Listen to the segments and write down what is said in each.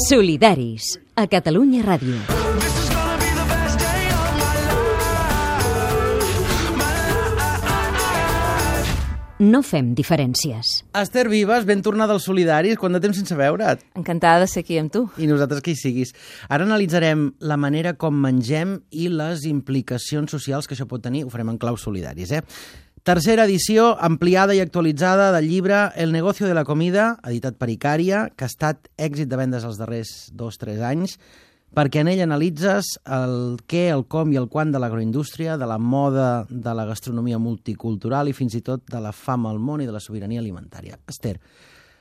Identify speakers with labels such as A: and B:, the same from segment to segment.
A: Solidaris, a Catalunya Ràdio. No fem diferències.
B: Esther Vives, ben tornada als Solidaris, quant de temps sense veure't?
C: Encantada de ser aquí amb tu.
B: I nosaltres que hi siguis. Ara analitzarem la manera com mengem i les implicacions socials que això pot tenir. Ho farem en clau Solidaris, Tercera edició ampliada i actualitzada del llibre El negocio de la comida, editat per Icària, que ha estat èxit de vendes els darrers 2-3 anys, perquè en ell analitzes el què, el com i el quan de l'agroindústria, de la moda, de la gastronomia multicultural i fins i tot de la fam al món i de la sobirania alimentària. Esther,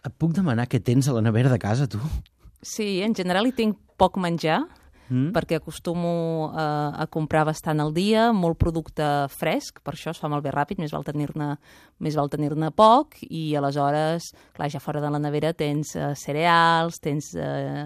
B: et puc demanar què tens a la nevera de casa, tu?
C: Sí, en general hi tinc poc menjar, perquè acostumo a comprar bastant al dia, molt producte fresc, per això es fa malbé ràpid, més val tenir-ne poc, i aleshores, clar, ja fora de la nevera tens cereals, tens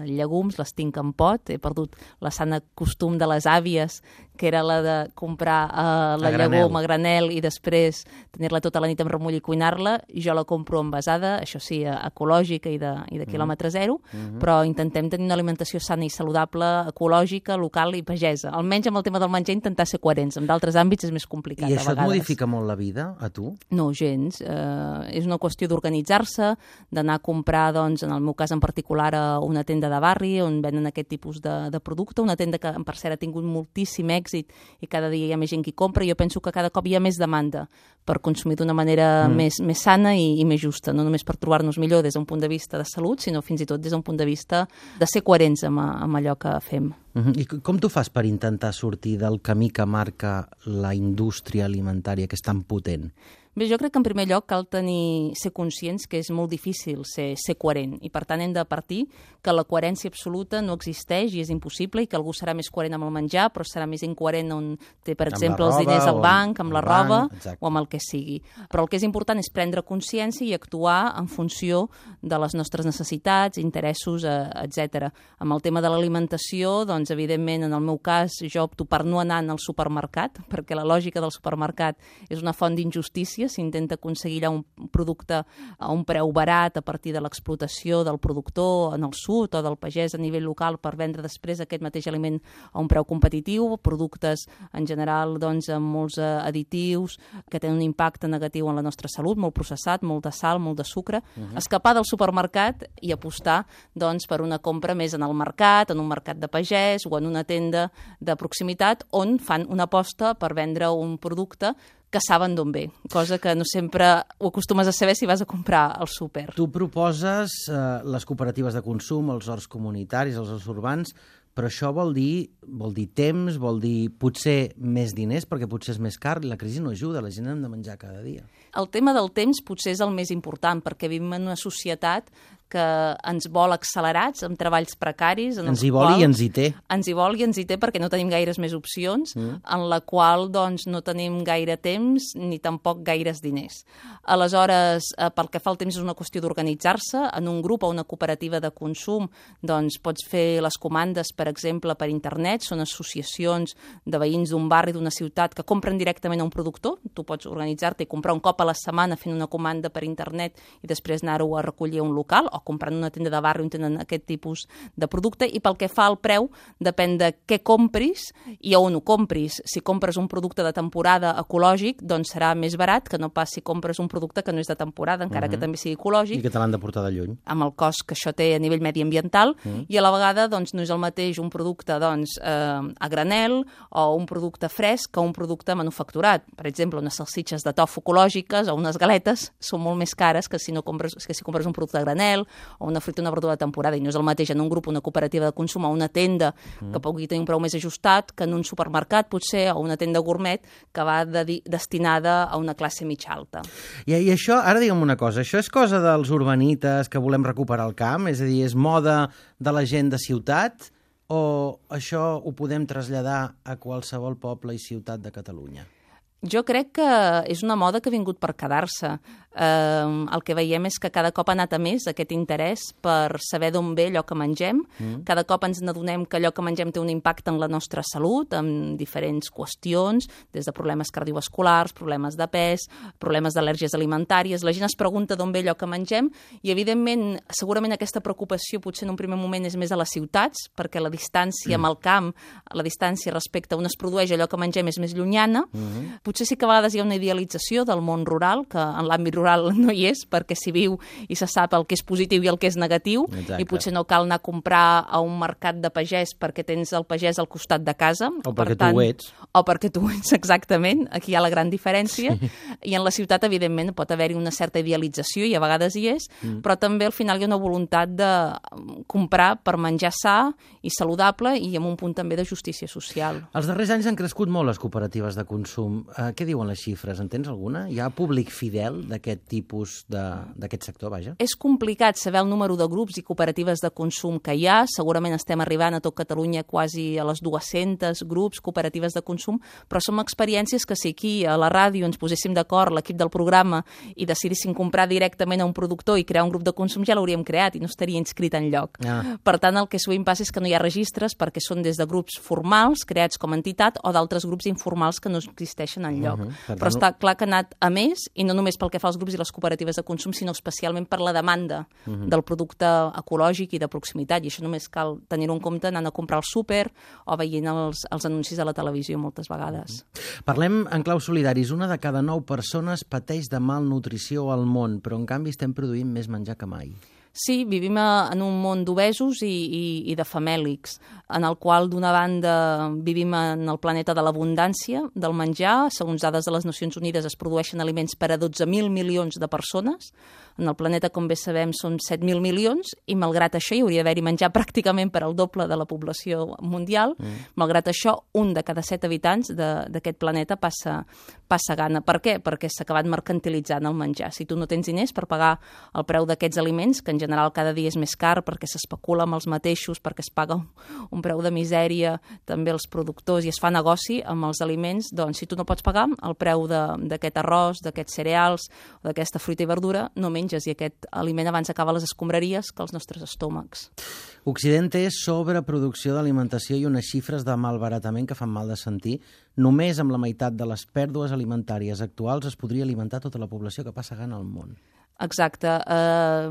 C: llegums, les tinc en pot, he perdut la sana costum de les àvies, que era la de comprar la llegum a granel i després tenir-la tota la nit en remull i cuinar-la. Jo la compro envasada, això sí, ecològica i de quilòmetre zero, però intentem tenir una alimentació sana i saludable, ecològica, local i pagesa. Almenys amb el tema del menjar intentar ser coherents. En d'altres àmbits és més complicat,
B: I
C: a
B: això
C: vegades.
B: et modifica molt la vida, a tu?
C: No, gens. És una qüestió d'organitzar-se, d'anar a comprar, doncs, en el meu cas en particular, a una tenda de barri on venen aquest tipus de producte, una tenda que, per cert, ha tingut moltíssim èxit i cada dia hi ha més gent que compra. Jo penso que cada cop hi ha més demanda per consumir d'una manera més sana i més justa, no només per trobar-nos millor des d'un punt de vista de salut, sinó fins i tot des d'un punt de vista de ser coherents amb allò que fem.
B: I com tu fas per intentar sortir del camí que marca la indústria alimentària, que és tan potent?
C: Bé, jo crec que en primer lloc cal ser conscients que és molt difícil ser coherent i per tant hem de partir que la coherència absoluta no existeix i és impossible i que algú serà més coherent amb el menjar però serà més incoherent on té, per exemple, els diners al banc, amb la roba o amb el que sigui. Però el que és important és prendre consciència i actuar en funció de les nostres necessitats, interessos, etc. Amb el tema de l'alimentació, doncs, evidentment, en el meu cas, jo opto per no anar al supermercat perquè la lògica del supermercat és una font d'injustícia. S'intenta aconseguir allà un producte a un preu barat a partir de l'explotació del productor en el sud o del pagès a nivell local per vendre després aquest mateix aliment a un preu competitiu, productes en general doncs, amb molts additius que tenen un impacte negatiu en la nostra salut, molt processat, molt de sal, molt de sucre. Escapar del supermercat i apostar doncs, per una compra més en el mercat, en un mercat de pagès o en una tenda de proximitat on fan una aposta per vendre un producte que saben d'on ve, cosa que no sempre ho acostumes a saber si vas a comprar al súper.
B: Tu proposes les cooperatives de consum, els horts comunitaris, els horts urbans, però això vol dir temps, vol dir potser més diners, perquè potser és més car, la crisi no ajuda, la gent hem de menjar cada dia.
C: El tema del temps potser és el més important, perquè vivim en una societat que ens vol accelerats, amb treballs precaris.
B: Ens hi vol i ens hi té.
C: Ens hi vol i ens hi té perquè no tenim gaires més opcions, en la qual doncs, no tenim gaire temps ni tampoc gaires diners. Aleshores, pel que fa al temps és una qüestió d'organitzar-se. En un grup o una cooperativa de consum doncs, pots fer les comandes, per exemple, per internet. Són associacions de veïns d'un barri, d'una ciutat, que compren directament a un productor. Tu pots organitzar-te i comprar un cop a la setmana fent una comanda per internet i després anar-ho a recollir a un local o comprant una tenda de barri on tenen aquest tipus de producte. I pel que fa al preu, depèn de què compris i on ho compris. Si compres un producte de temporada ecològic, doncs serà més barat que no pas si compres un producte que no és de temporada, encara que també sigui ecològic.
B: I que te l'han de portar de lluny.
C: Amb el cost que això té a nivell mediambiental i a la vegada doncs, no és el mateix un producte doncs, a granel o un producte fresc que un producte manufacturat. Per exemple, unes salsitxes de tofu ecològiques o unes galetes són molt més cares que si compres un producte a granel o una fruita o una verdura de temporada, i no és el mateix en un grup, una cooperativa de consum o una tenda que pugui tenir un preu més ajustat que en un supermercat potser o una tenda gourmet que va destinada a una classe mitja alta.
B: I això, ara digue'm una cosa, això és cosa dels urbanites que volem recuperar el camp? És a dir, és moda de la gent de ciutat o això ho podem traslladar a qualsevol poble i ciutat de Catalunya?
C: Jo crec que és una moda que ha vingut per quedar-se. El que veiem és que cada cop ha anat a més aquest interès per saber d'on ve allò que mengem. Cada cop ens n'adonem que allò que mengem té un impacte en la nostra salut, amb diferents qüestions, des de problemes cardiovasculars, problemes de pes, problemes d'al·lèrgies alimentàries. La gent es pregunta d'on ve allò que mengem i, evidentment, segurament aquesta preocupació potser en un primer moment és més a les ciutats, perquè la distància amb el camp, la distància respecte a on es produeix allò que mengem és més llunyana. Potser sí que a vegades hi ha una idealització del món rural, que en l'àmbit rural no hi és, perquè s'hi viu i se sap el que és positiu i el que és negatiu. Exacte. I potser no cal anar a comprar a un mercat de pagès perquè tens el pagès al costat de casa.
B: O perquè tu ho ets.
C: O perquè tu ho ets, exactament. Aquí hi ha la gran diferència. I en la ciutat, evidentment, pot haver-hi una certa idealització, i a vegades hi és, però també al final hi ha una voluntat de comprar per menjar sa i saludable i amb un punt també de justícia social.
B: Els darrers anys han crescut molt les cooperatives de consum. Què diuen les xifres? En tens alguna? Hi ha públic fidel d'aquest tipus, d'aquest sector, vaja?
C: És complicat saber el número de grups i cooperatives de consum que hi ha. Segurament estem arribant a tot Catalunya quasi a les 200 grups, cooperatives de consum, però són experiències que si aquí a la ràdio ens poséssim d'acord, l'equip del programa, i decidíssim comprar directament a un productor i crear un grup de consum, ja l'hauríem creat i no estaria inscrit enlloc. Per tant, el que sovint passa és que no hi ha registres perquè són des de grups formals, creats com a entitat, o d'altres grups informals que no existeixen enlloc. Però està clar que ha anat a més, i no només pel que fa als grups i les cooperatives de consum, sinó especialment per la demanda del producte ecològic i de proximitat, i això només cal tenir-ho en compte anant a comprar al súper o veient els anuncis a la televisió moltes vegades.
B: Parlem en clau solidaris. Una de cada 9 persones pateix de malnutrició al món, però en canvi estem produint més menjar que mai.
C: Sí, vivim en un món d'obesos i de famèlics, en el qual, d'una banda, vivim en el planeta de l'abundància del menjar. Segons dades de les Nacions Unides, es produeixen aliments per a 12.000 milions de persones. En el planeta, com bé sabem, són 7.000 milions, i malgrat això hi hauria d'haver-hi menjar pràcticament per al doble de la població mundial. Malgrat això, un de cada 7 habitants d'aquest planeta passa gana. Per què? Perquè s'ha acabat mercantilitzant el menjar. Si tu no tens diners per pagar el preu d'aquests aliments, que en general cada dia és més car perquè s'especula amb els mateixos, perquè es paga un preu de misèria també als productors i es fa negoci amb els aliments, doncs si tu no pots pagar el preu d'aquest arròs, d'aquests cereals o d'aquesta fruita i verdura, no menges, i aquest aliment abans acaba a les escombraries que als nostres estómacs.
B: Occident té sobreproducció d'alimentació i unes xifres de malbaratament que fan mal de sentir. Només amb la meitat de les pèrdues alimentàries actuals es podria alimentar tota la població que passa gana al món.
C: Exacte. La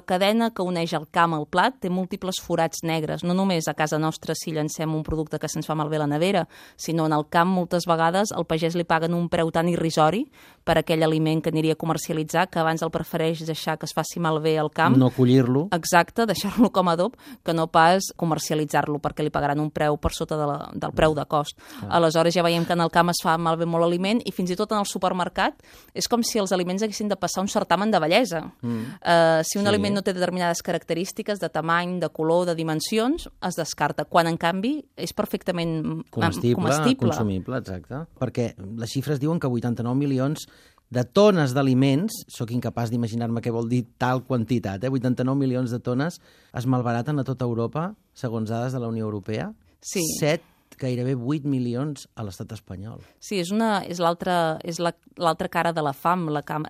C: cadena que uneix el camp al plat té múltiples forats negres. No només a casa nostra si llancem un producte que se'ns fa malbé a la nevera, sinó en el camp moltes vegades al pagès li paguen un preu tan irrisori per aquell aliment que aniria a comercialitzar, que abans el prefereix deixar que es faci malbé al camp.
B: No collir-lo.
C: Exacte, deixar-lo com a adob, que no pas comercialitzar-lo, perquè li pagaran un preu per sota del preu de cost. Aleshores ja veiem que en el camp es fa malbé molt aliment, i fins i tot en el supermercat és com si els aliments haguessin de passar un certamen de bellesa. Si un aliment no té determinades característiques de tamany, de color, de dimensions, es descarta, quan en canvi és perfectament comestible.
B: Consumible, exacte. Perquè les xifres diuen que 89 milions de tones d'aliments, sóc incapaç d'imaginar-me què vol dir tal quantitat, 89 milions de tones es malbaraten a tota Europa, segons dades de la Unió Europea.
C: Sí.
B: Gairebé 8 milions a l'estat espanyol.
C: Sí, és l'altra cara de la fam, la cara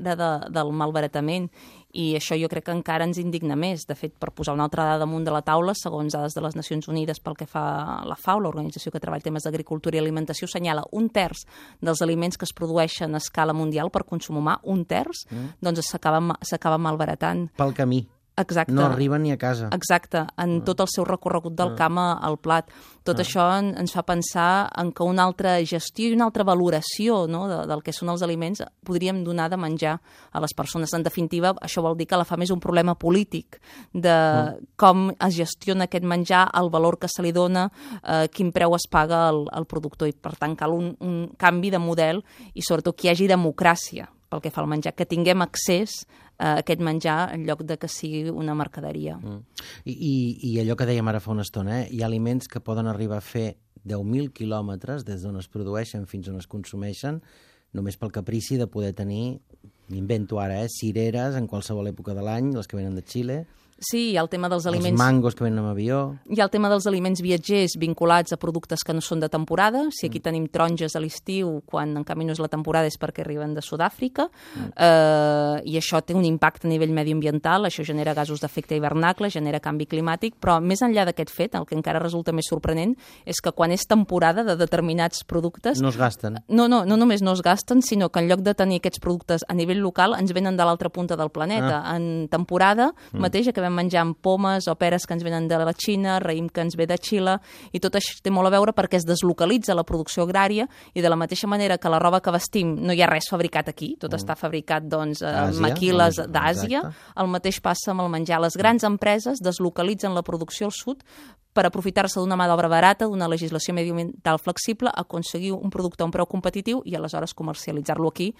C: del malbaratament, i això jo crec que encara ens indigna més. De fet, per posar una altra dada damunt de la taula, segons dades de les Nacions Unides pel que fa a la FAO, l'organització que treballa temes d'agricultura i alimentació, assenyala 1/3 dels aliments que es produeixen a escala mundial per consum humà, 1/3, doncs s'acaba malbaratant.
B: Pel camí.
C: Exacte.
B: No arriben ni a casa.
C: Exacte, en tot el seu recorregut del camp al plat. Tot això ens fa pensar en que una altra gestió i una altra valoració, no, del que són els aliments podríem donar de menjar a les persones. En definitiva, això vol dir que la fam és un problema polític de com es gestiona aquest menjar, el valor que se li dona, quin preu es paga al productor, i per tant cal un canvi de model i sobretot que hi hagi democràcia pel que fa al menjar, que tinguem accés a aquest menjar en lloc de que sigui una mercaderia.
B: I allò que dèiem ara fa una estona, hi ha aliments que poden arribar a fer 10.000 quilòmetres des d'on es produeixen fins on es consumeixen, només pel caprici de poder tenir, m'invento ara, cireres en qualsevol època de l'any, les que venen de Xile.
C: Sí, hi ha el tema dels
B: Els
C: aliments...
B: mangos que venen amb avió...
C: Hi ha el tema dels aliments viatgers vinculats a productes que no són de temporada. Si aquí tenim taronges a l'estiu, quan en canvi no és la temporada és perquè arriben de Sud-àfrica, i això té un impacte a nivell mediambiental, això genera gasos d'efecte hivernacle, genera canvi climàtic, però més enllà d'aquest fet, el que encara resulta més sorprenent és que quan és temporada de determinats productes...
B: No es gasten.
C: No només no es gasten, sinó que en lloc de tenir aquests productes a nivell local ens venen de l'altra punta del planeta. En temporada mateix acabem menjant pomes o peres que ens venen de la Xina, raïm que ens ve de Xile, i tot això té molt a veure perquè es deslocalitza la producció agrària i de la mateixa manera que la roba que vestim no hi ha res fabricat aquí, tot està fabricat doncs, maquiles d'Àsia, el mateix passa amb el menjar. Les grans empreses deslocalitzen la producció al sud per aprofitar-se d'una mà d'obra barata, d'una legislació mediambiental flexible, aconseguir un producte a un preu competitiu i aleshores comercialitzar-lo aquí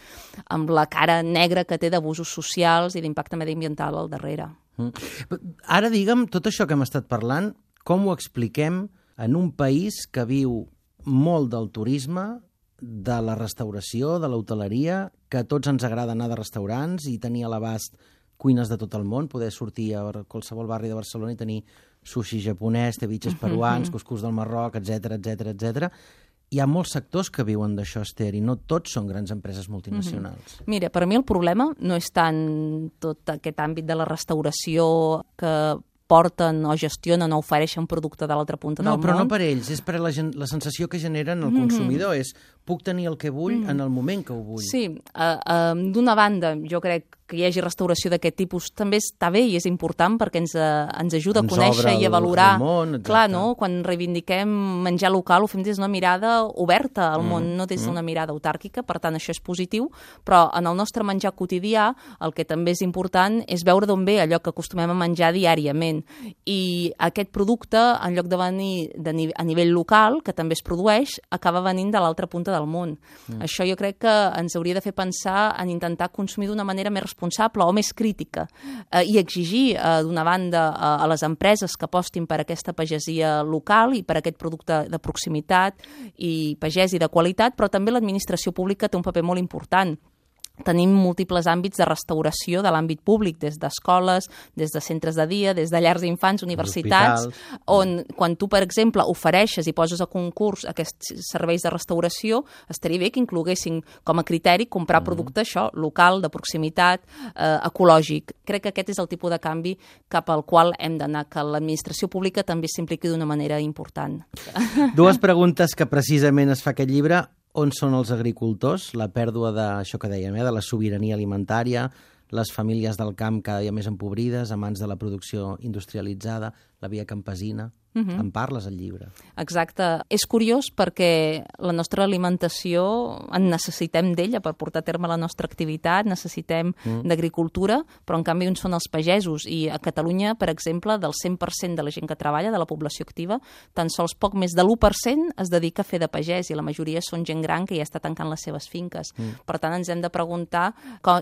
C: amb la cara negra que té d'abusos socials i d'impacte mediambiental al darrere.
B: Ara, digue'm, tot això que hem estat parlant, com ho expliquem en un país que viu molt del turisme, de la restauració, de l'hoteleria, que a tots ens agrada anar de restaurants i tenir a l'abast cuines de tot el món, poder sortir a qualsevol barri de Barcelona i tenir sushi japonès, ceviches peruans, cuscús del Marroc, etc etc. Hi ha molts sectors que viuen d'això, Esther, i no tots són grans empreses multinacionals.
C: Mira, per mi el problema no és tant tot aquest àmbit de la restauració que porten o gestionen o ofereixen producte de l'altra punta del món.
B: No, però no per ells, és per la sensació que generen el consumidor, és puc tenir el que vull en el moment que ho vull.
C: Sí, d'una banda, jo crec que hi hagi restauració d'aquest tipus també està bé i és important perquè ens ajuda a conèixer i a valorar. Clar, no? Quan reivindiquem menjar local ho fem des d'una mirada oberta al món, no des d'una mirada autàrquica, per tant això és positiu, però en el nostre menjar quotidià el que també és important és veure d'on ve allò que acostumem a menjar diàriament. I aquest producte, en lloc de venir a nivell local, que també es produeix, acaba venint de l'altra punta del món. Això jo crec que ens hauria de fer pensar en intentar consumir d'una manera més responsable o més crítica i exigir, d'una banda, a les empreses que apostin per aquesta pagesia local i per aquest producte de proximitat i pagès i de qualitat, però també l'administració pública té un paper molt important. Tenim múltiples àmbits de restauració de l'àmbit públic, des d'escoles, des de centres de dia, des de llars d'infants, universitats, on quan tu, per exemple, ofereixes i poses a concurs aquests serveis de restauració, estaria bé que incloguessin com a criteri comprar producte això, local, de proximitat, ecològic. Crec que aquest és el tipus de canvi cap al qual hem d'anar, que l'administració pública també s'impliqui d'una manera important.
B: Dues preguntes que precisament es fa aquest llibre. On són els agricultors? La pèrdua d'això que dèiem, de la sobirania alimentària, les famílies del camp cada dia més empobrides, a mans de la producció industrialitzada, la via campesina. En parles al llibre.
C: Exacte. És curiós perquè la nostra alimentació en necessitem d'ella per portar a terme la nostra activitat, necessitem d'agricultura, però en canvi on són els pagesos. I a Catalunya, per exemple, del 100% de la gent que treballa, de la població activa, tan sols poc més de l'1% es dedica a fer de pagès i la majoria són gent gran que ja està tancant les seves finques. Per tant, ens hem de preguntar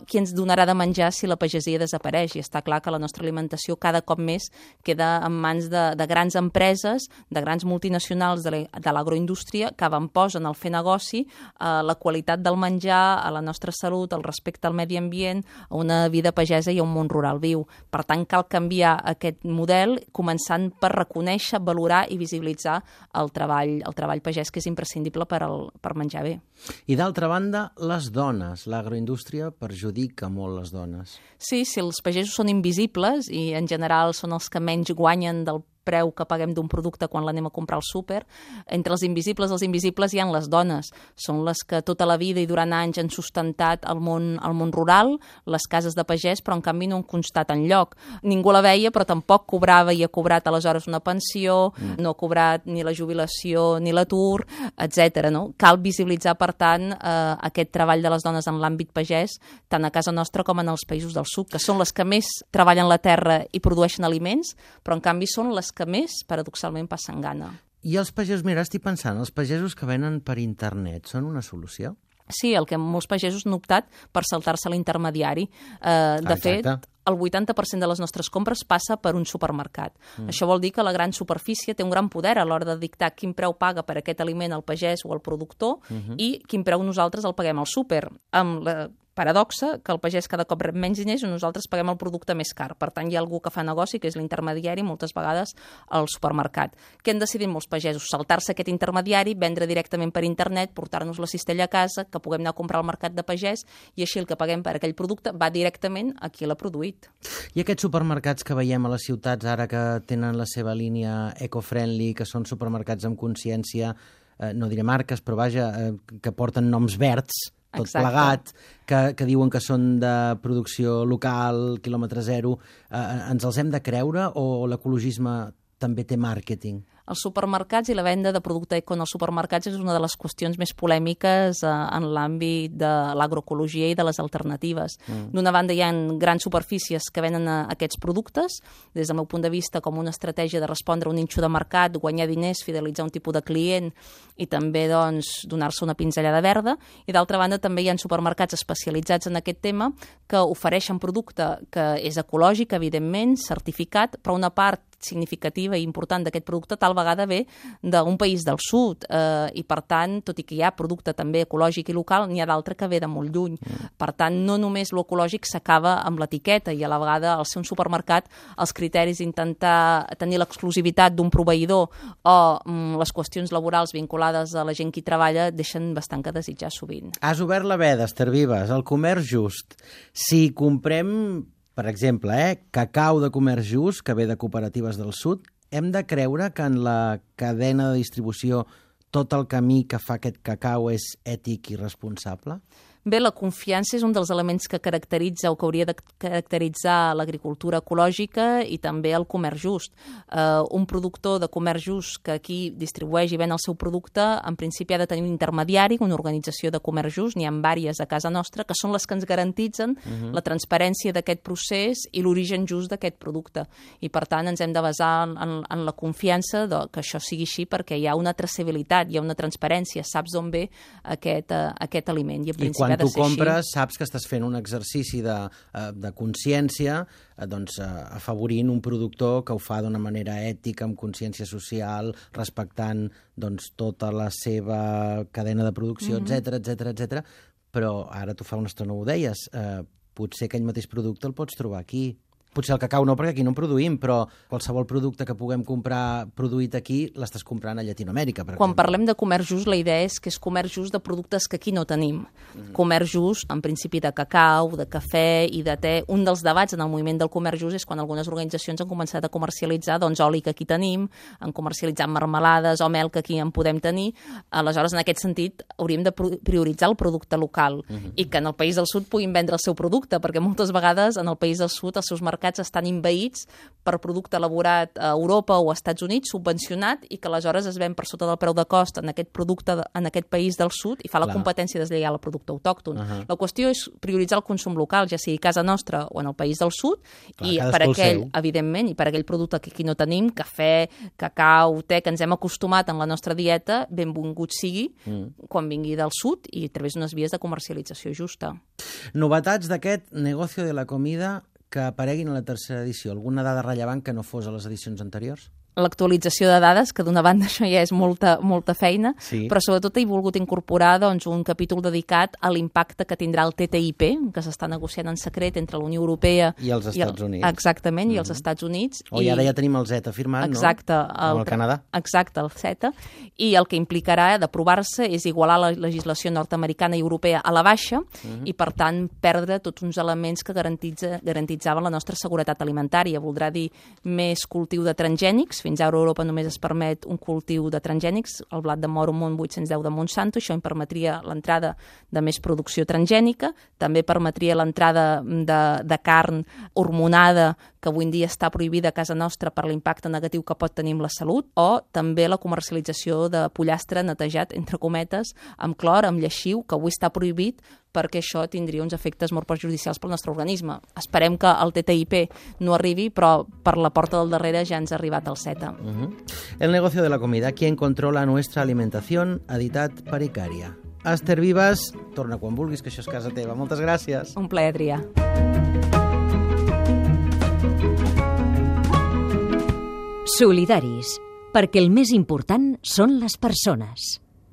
C: qui ens donarà de menjar si la pagesia desapareix. I està clar que la nostra alimentació cada cop més queda en mans de grans empreses, de grans multinacionals de l'agroindústria que avantposen al fer negoci la qualitat del menjar, a la nostra salut, al respecte al medi ambient, a una vida pagesa i a un món rural viu. Per tant, cal canviar aquest model començant per reconèixer, valorar i visibilitzar el treball pagès, que és imprescindible per menjar bé.
B: I d'altra banda, les dones. L'agroindústria perjudica molt les dones.
C: Sí, si els pagesos són invisibles i en general són els que menys guanyen del preu que paguem d'un producte quan l'anem a comprar al súper, entre els invisibles hi ha les dones. Són les que tota la vida i durant anys han sustentat el món rural, les cases de pagès, però en canvi no han constat enlloc. Ningú la veia, però tampoc cobrava i ha cobrat aleshores una pensió, no ha cobrat ni la jubilació ni l'atur, etc. No? Cal visibilitzar, per tant, aquest treball de les dones en l'àmbit pagès, tant a casa nostra com en els països del sud, que són les que més treballen la terra i produeixen aliments, però en canvi són les que més, paradoxalment, passen gana.
B: I els pagesos, mira, estic pensant, els pagesos que venen per internet són una solució?
C: Sí, el que molts pagesos han optat per saltar-se l'intermediari. De fet, el 80% de les nostres compres passa per un supermercat. Això vol dir que la gran superfície té un gran poder a l'hora de dictar quin preu paga per aquest aliment el pagès o el productor i quin preu nosaltres el paguem al súper. Amb la paradoxa que el pagès cada cop rep menys diners i nosaltres paguem el producte més car. Per tant, hi ha algú que fa negoci, que és l'intermediari, moltes vegades al supermercat. Què han decidit molts pagesos? Saltar-se aquest intermediari, vendre directament per internet, portar-nos la cistella a casa, que puguem anar a comprar al mercat de pagès i així el que paguem per aquell producte va directament a qui l'ha produït.
B: I aquests supermercats que veiem a les ciutats ara que tenen la seva línia eco-friendly, que són supermercats amb consciència, no diré marques, però vaja, que porten noms verds, tot plegat, que diuen que són de producció local, quilòmetre zero, ens els hem de creure o l'ecologisme també té màrqueting?
C: Els supermercats i la venda de producte eco en els supermercats és una de les qüestions més polèmiques en l'àmbit de l'agroecologia i de les alternatives. D'una banda, hi ha grans superfícies que venen aquests productes, des del meu punt de vista, com una estratègia de respondre a un nínxol de mercat, guanyar diners, fidelitzar un tipus de client i també donar-se una pinzellada verda. I d'altra banda, també hi ha supermercats especialitzats en aquest tema que ofereixen producte que és ecològic, evidentment, certificat, però una part significativa i important d'aquest producte tal vegada ve d'un país del sud i per tant, tot i que hi ha producte també ecològic i local, n'hi ha d'altre que ve de molt lluny. Per tant, no només l'ecològic s'acaba amb l'etiqueta i a la vegada al ser un supermercat els criteris d'intentar tenir l'exclusivitat d'un proveïdor o les qüestions laborals vinculades a la gent que hi treballa deixen bastant que desitjar sovint.
B: Has obert la veda, Esther Vives, el comerç just. Si comprem, per exemple, cacau de comerç just, que ve de cooperatives del sud, hem de creure que en la cadena de distribució tot el camí que fa aquest cacau és ètic i responsable?
C: Bé, la confiança és un dels elements que caracteritza o que hauria de caracteritzar l'agricultura ecològica i també el comerç just. Un productor de comerç just que aquí distribueix i ven el seu producte, en principi ha de tenir un intermediari, una organització de comerç just, n'hi ha diverses a casa nostra, que són les que ens garantitzen la transparència d'aquest procés i l'origen just d'aquest producte. I per tant ens hem de basar en la confiança que això sigui així perquè hi ha una traçabilitat, hi ha una transparència, saps d'on ve aquest aliment. I en principi
B: quan tu compres saps que estàs fent un exercici de consciència afavorint un productor que ho fa d'una manera ètica, amb consciència social, respectant tota la seva cadena de producció, etc. Però ara tu fa una estona ho deies, potser aquell mateix producte el pots trobar aquí. Potser el cacau no, perquè aquí no en produïm, però qualsevol producte que puguem comprar produït aquí l'estàs comprant a Llatinoamèrica, per exemple.
C: Quan parlem de comerç just, la idea és que és comerç just de productes que aquí no tenim. Comerç just, en principi, de cacau, de cafè i de te. Un dels debats en el moviment del comerç just és quan algunes organitzacions han començat a comercialitzar oli que aquí tenim, han comercialitzat marmelades o mel que aquí en podem tenir. Aleshores, en aquest sentit, hauríem de prioritzar el producte local i que en el País del Sud puguin vendre el seu producte, perquè moltes vegades en el País del Sud els seus mercats estan envaïts per producte elaborat a Europa o als Estats Units, subvencionat, i que aleshores es ven per sota del preu de cost en aquest producte en aquest país del sud i fa la competència deslleial al producte autòcton. La qüestió és prioritzar el consum local, ja sigui a casa nostra o en el país del sud, i per aquell, evidentment, i per aquell producte que aquí no tenim, cafè, cacau, te, que ens hem acostumat en la nostra dieta, benvingut sigui quan vingui del sud i a través d'unes vies de comercialització justa.
B: Novetats d'aquest negocio de la comida que apareguin a la tercera edició? Alguna dada rellevant que no fos a les edicions anteriors?
C: L'actualització de dades, que d'una banda això ja és molta feina, però sobretot he volgut incorporar un capítol dedicat a l'impacte que tindrà el TTIP, que s'està negociant en secret entre la Unió Europea
B: i els Estats Units.
C: Exactament, i els Estats Units.
B: I ara ja tenim el CETA firmat, no?
C: Exacte.
B: Amb el Canadà.
C: Exacte, el CETA. I el que implicarà d'aprovar-se és igualar la legislació nord-americana i europea a la baixa i, per tant, perdre tots uns elements que garantitzaven la nostra seguretat alimentària. Voldrà dir més cultiu de transgènics. Fins ara a Europa només es permet un cultiu de transgènics, el blat de moro 810 de Monsanto, això em permetria l'entrada de més producció transgènica, també permetria l'entrada de carn hormonada que avui en dia està prohibida a casa nostra per l'impacte negatiu que pot tenir amb la salut, o també la comercialització de pollastre netejat, entre cometes, amb clor, amb lleixiu, que avui està prohibit perquè això tindria uns efectes molt perjudicials pel nostre organisme. Esperem que el TTIP no arribi, però per la porta del darrere ja ens ha arribat el CETA.
B: El negocio de la comida, ¿quién controla nuestra alimentación? Editat per Icària. Esther Vives, torna quan vulguis, que això és casa teva. Moltes gràcies.
C: Un plaer, Adrià.
A: Solidaris, perquè el més important són les persones.